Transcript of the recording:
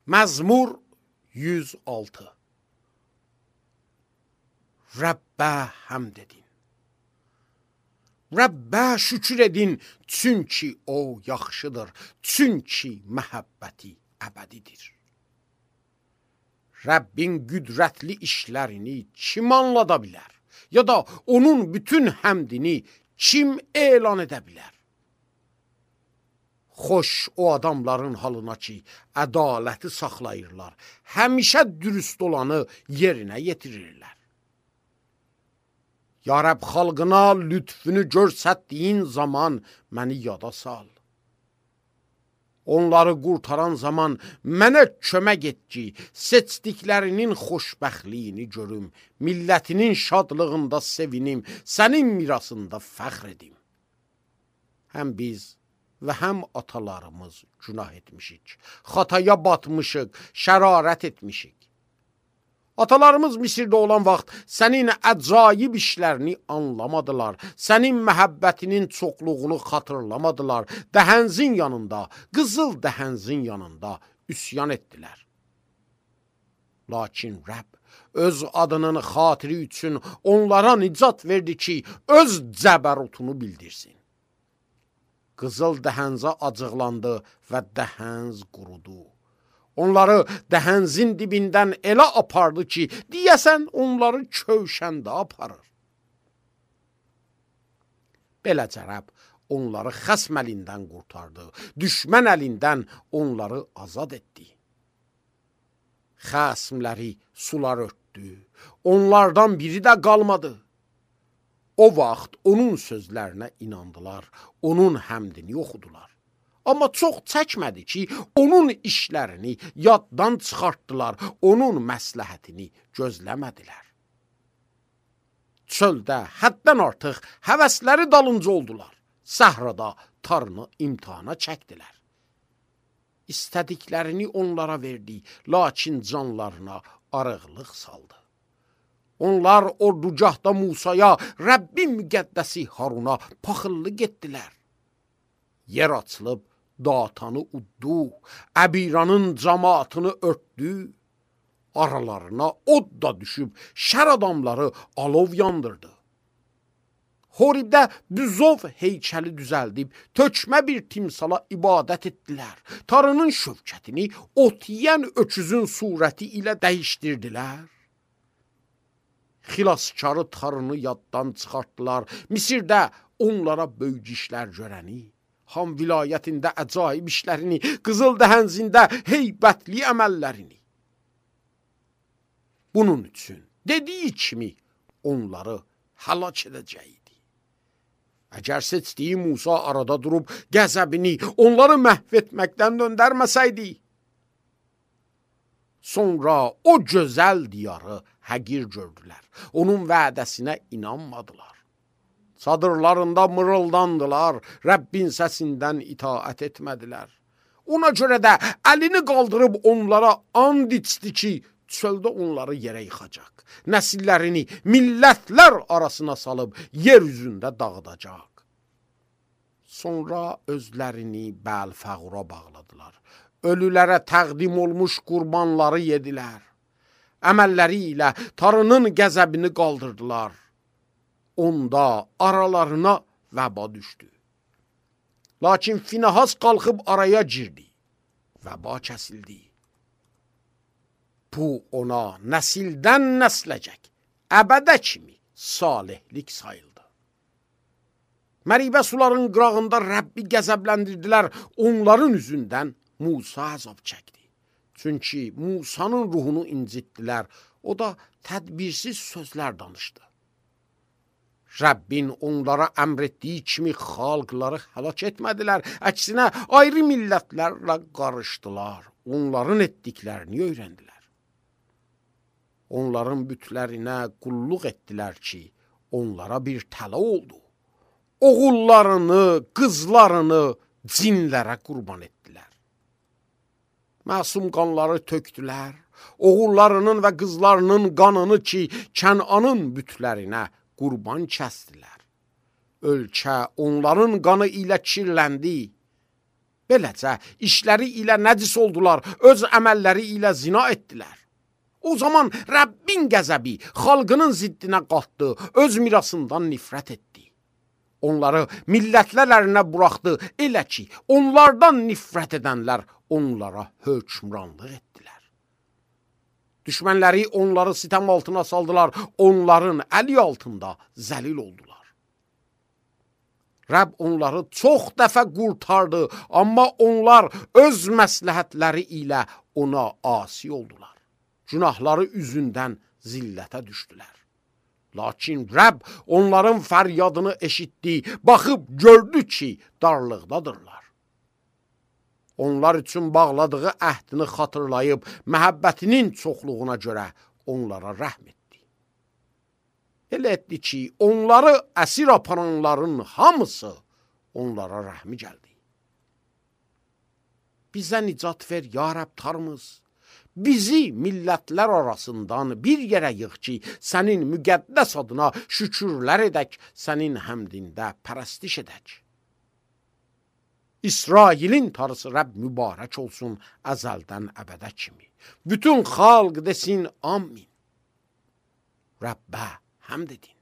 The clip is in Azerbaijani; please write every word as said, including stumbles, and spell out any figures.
Məzmur yüz altı. Rəbbə həmd edin. Rəbbə şükür edin, çünki o yaxşıdır, çünki məhəbbəti əbədidir. Rəbbin qüdrətli işlərini kim anlada bilər? Ya da onun bütün həmdini kim elan edə bilər? Xoş o adamların halına ki, ədaləti saxlayırlar, həmişə dürüst olanı yerinə yetirirlər. Ya Rəbb, xalqına lütfünü görsətdiyin zaman məni yada sal. Onları qurtaran zaman mənə kömək et ki, seçdiklərinin xoşbəxtliyini görüm, millətinin şadlığında sevinim, sənin mirasında fəxr edim. Həm biz və həm atalarımız günah etmişik, xataya batmışıq, şərarət etmişik. Atalarımız Misirdə olan vaxt sənin əcaib işlərini anlamadılar, sənin məhəbbətinin çoxluğunu xatırlamadılar, dəhənzin yanında, qızıl dəhənzin yanında üsyan etdilər. Lakin Rəbb öz adının xatiri üçün onlara nicat verdi ki, öz cəbərutunu bildirsin. Qızıl dəhənzə acıqlandı və dəhənz qurudu. Onları dəhənzin dibindən elə apardı ki, deyəsən onları kövşəndə aparır. Beləcə Rəbb onları xəsm əlindən qurtardı, düşmən əlindən onları azad etdi. Xəsmləri sular örtdü, onlardan biri də qalmadı. O vaxt onun sözlərinə inandılar, onun həmdini oxudular. Amma çox çəkmədi ki, onun işlərini yaddan çıxartdılar, onun məsləhətini gözləmədilər. Çöldə həddən artıq həvəsləri dalınca oldular, səhrada tarını imtihana çəkdilər. İstədiklərini onlara verdi, lakin canlarına arıqlıq saldı. Onlar ordugahda Musaya, Rəbbin müqəddəsi Haruna paxıllı getdilər. Yer açılıb, Datanı uddu, Əbiranın cəmaatını örtdü, aralarına od da düşüb, şər adamları alov yandırdı. Horibdə büzov heykəli düzəldib, tökmə bir timsala ibadət etdilər. Tarının şövkətini ot yiyən öküzün surəti ilə dəyişdirdilər. Xilaskarı tarını yaddan çıxartdılar. Misirdə onlara böyük işlər görəni, Ham vilayətində əcaib işlərini, Qızıl dəhənzində heybətli əməllərini. Bunun üçün dediyi kimi onları həlak edəcəkdi. Əgər seçdiyi Musa arada durub qəzəbini onları məhv etməkdən döndərməsəydi, sonra o gözəl diyarı həqir gördülər. Onun vədəsinə inanmadılar. Çadırlarında mırıldandılar, Rəbbin səsindən itaət etmədilər. Ona görə də əlini qaldırıb onlara and içdi ki, çöldə onları yerə yıxacaq. Nəsillərini millətlər arasına salıb yer üzündə dağıdacaq. Sonra özlərini Bəl-Fəğura bağladılar. Ölülərə təqdim olmuş qurbanları yedilər. Əməlləri ilə tarının qəzəbini qaldırdılar. Onda aralarına vəba düşdü. Lakin Finehas qalxıb araya girdi. Vəba kəsildi. Bu ona nəsildən nəsləcək, əbədə kimi salihlik sayıldı. Məribə suların qırağında Rəbbi qəzəbləndirdilər, onların üzündən Musa əzab çəkdi. Çünki Musanın ruhunu incitdilər, o da tədbirsiz sözlər danışdı. Rəbbin onlara əmr etdiyi kimi xalqları həlak etmədilər, əksinə ayrı millətlərlə qarışdılar, onların etdiklərini öyrəndilər. Onların bütlərinə qulluq etdilər ki, onlara bir tələ oldu. Oğullarını, qızlarını cinlərə qurban etdilər. Məsum qanları tökdülər, oğullarının və qızlarının qanını ki, Kənanın bütlərinə qurban kəsdilər. Ölkə onların qanı ilə kirləndi. Beləcə işləri ilə nəcis oldular, öz əməlləri ilə zina etdilər. O zaman Rəbbin qəzəbi xalqının ziddinə qalxdı, öz mirasından nifrət etdi. Onları millətlər əlinə buraxdı, elə ki, onlardan nifrət edənlər onlara hökmranlıq etdilər. Düşmənləri onları sitəm altına saldılar, onların əli altında zəlil oldular. Rəbb onları çox dəfə qurtardı, amma onlar öz məsləhətləri ilə ona asi oldular. Günahları üzündən zillətə düşdülər. Lakin Rəbb onların fəryadını eşitdi, baxıb gördü ki, darlıqdadırlar. Onlar üçün bağladığı əhdini xatırlayıb, məhəbbətinin çoxluğuna görə onlara rəhm etdi. Elə etdi ki, onları əsir aparanların hamısı onlara rəhmi gəldi. Bizə nicat ver, ya Rəbb Tanrımız. Bizi millətlər arasından bir yerə yığ ki, sənin müqəddəs adına şükürlər edək, sənin həmdində pərəstiş edək. İsrailin Tanrısı Rəbb mübarək olsun əzəldən əbədə kimi. Bütün xalq desin amin. Rəbbə həmd edin.